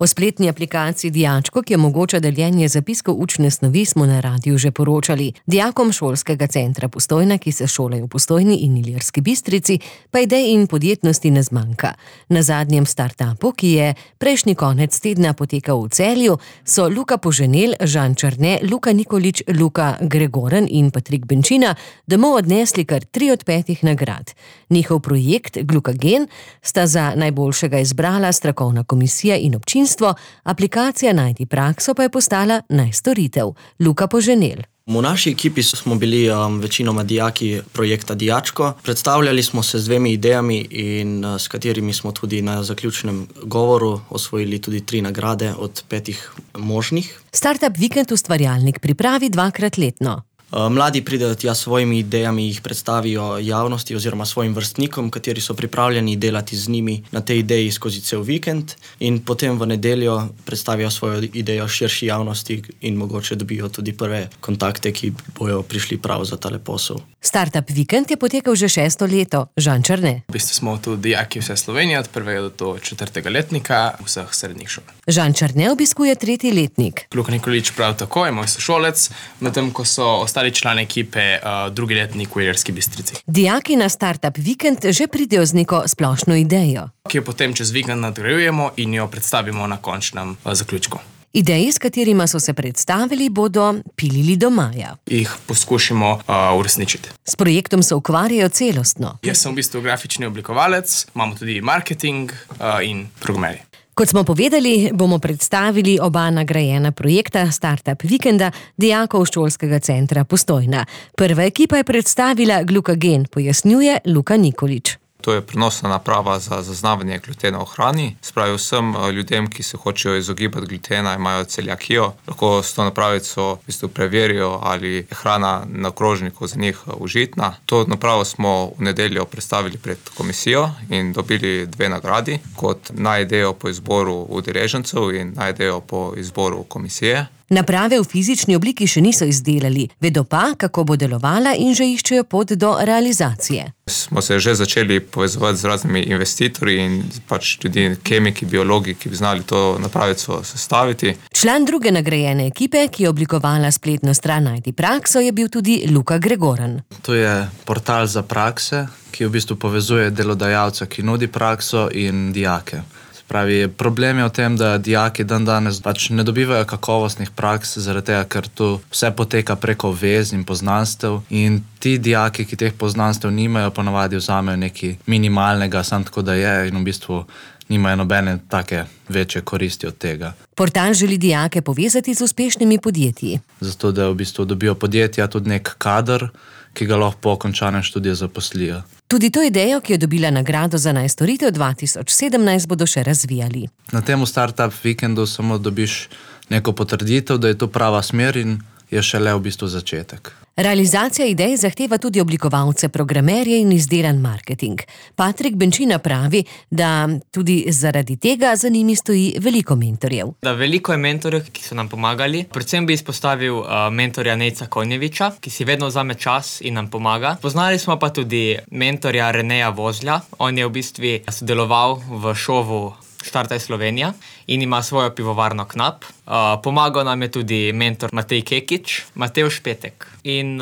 O spletni aplikaciji Dijačko, ki omogoča deljenje zapiskov učne snovi, smo na radiu že poročali. Dijakom šolskega centra Postojna, ki se šolajo v Postojni in Ilirski Bistrici, pa idej in podjetnosti ne zmanjka. Na zadnjem startupu, ki je prejšnji konec tedna potekal v Celju, so Luka Poženel, Žan Černe, Luka Nikolič, Luka Gregoren in Patrik Benčina domov odnesli kar 3 od 5 nagrad. Njihov projekt Glukagen sta za najboljšega izbrala strokovna komisija in občinstvo, aplikacija Najdi prakso pa je postala najstoritev. Luka Poženel. V naši ekipi smo bili večinoma dijaki projekta Dijačko. Predstavljali smo se z 2 idejami in s katerimi smo tudi na zaključnem govoru osvojili tudi 3 nagrade od 5 možnih. Startup Vikend ustvarjalnik pripravi 2-krat letno. Mladi pridejo tja s svojimi idejami, jih predstavijo javnosti oziroma svojim vrstnikom, kateri so pripravljeni delati z njimi na tej ideji skozi cel vikend, in potem v nedeljo predstavijo svojo idejo širši javnosti in mogoče dobijo tudi prve kontakte, ki bojo prišli prav za tale posel. Startup Vikend je potekal že 6. leto. Žan Černe. V bistvu smo tu dijaki vse Slovenije, od 1. do 4. letnika vseh srednjih šol. Žan Černe obiskuje 3. letnik. Luka Nikolič prav tako je moj sošolec, medtem ko so ostali člani ekipe 2. letnik v Ilirski Bistrici. Dijaki na Startup Vikend že pridejo z neko splošno idejo, ki jo potem čez vikend nadgrajujemo in jo predstavimo na končnem zaključku. Ideji, s katerima so se predstavili, bodo pilili do maja. Jih poskušamo uresničiti. S projektom se ukvarjajo celostno. Jaz sem v bistvu grafični oblikovalec, imamo tudi marketing in programerje. Kot smo povedali, bomo predstavili oba nagrajena projekta Startup Vikenda dijakov šolskega centra Postojna. Prva ekipa je predstavila Glukagen, pojasnjuje Luka Nikolič. To je prenosna naprava za zaznavanje glutena v hrani. Spravi vsem ljudem, ki se hočejo izogibati glutena, imajo celiakijo, lahko s to napravico v bistvu preverijo, ali je hrana na krožniku za njih užitna. To napravo smo v nedeljo predstavili pred komisijo in dobili 2 nagradi, kot najidejo po izboru udeležencev in najidejo po izboru komisije. Naprave v fizični obliki še niso izdelali, vedo pa, kako bo delovala, in že iščejo pot do realizacije. Smo se že začeli povezovati z raznimi investitorji in tudi kemiki, biologi, ki bi znali to napravico sestaviti. Član druge nagrajene ekipe, ki je oblikovala spletno stran Najdi prakso, je bil tudi Luka Gregoren. To je portal za prakse, ki v bistvu povezuje delodajalca, ki nudi prakso, in dijake. Pravi, problem je v tem, da dijaki dandanes ne dobivajo kakovostnih praks, zaradi tega, ker tu vse poteka preko vez in poznanstev, in ti dijaki, ki teh poznanstev nimajo, ponavadi vzamejo nekaj minimalnega, samo tako da je, in v bistvu nimajo nobene take večje koristi od tega. Portal želi dijake povezati z uspešnimi podjetji. Zato, da v bistvu dobijo podjetja tudi nek kader, ki ga lahko po končanem študiju zaposlijo. Tudi to idejo, ki je dobila nagrado za najstoritev 2017, bodo še razvijali. Na tem Startup Vikendu samo dobiš neko potrditev, da je to prava smer, in je šele v bistvu začetek. Realizacija idej zahteva tudi oblikovalce, programerje in izdelan marketing. Patrik Benčina pravi, da tudi zaradi tega za njimi stoji veliko mentorjev. Veliko je mentorjev, ki so nam pomagali. Predvsem bi izpostavil mentorja Nejca Konjeviča, ki si vedno vzame čas in nam pomaga. Poznali smo pa tudi mentorja Reneja Vozlja. On je v bistvu sodeloval v šovu Štartaj Slovenija in ima svojo pivovarno Knap. Pomagal nam je tudi mentor Matej Kekič, Matevž Petek in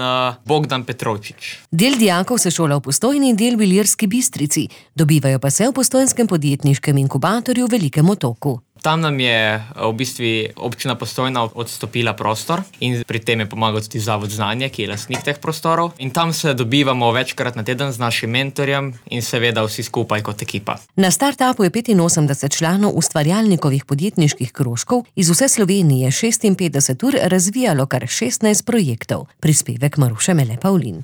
Bogdan Petrovčič. Del dijakov se šola v Postojni in del v Ilirski Bistrici. Dobivajo pa se v postojnskem podjetniškem inkubatorju v Velikem Otoku. Tam nam je v bistvu občina Postojna odstopila prostor in pri tem je pomagal tudi Zavod Znanje, ki je lastnik teh prostorov. In tam se dobivamo večkrat na teden z našim mentorjem in seveda vsi skupaj kot ekipa. Na startupu je 85 članov ustvarjalnikovih podjetniških krožkov iz vse Slovenije 56 ur razvijalo kar 16 projektov. Prispevek Maruše Mele Pavlin.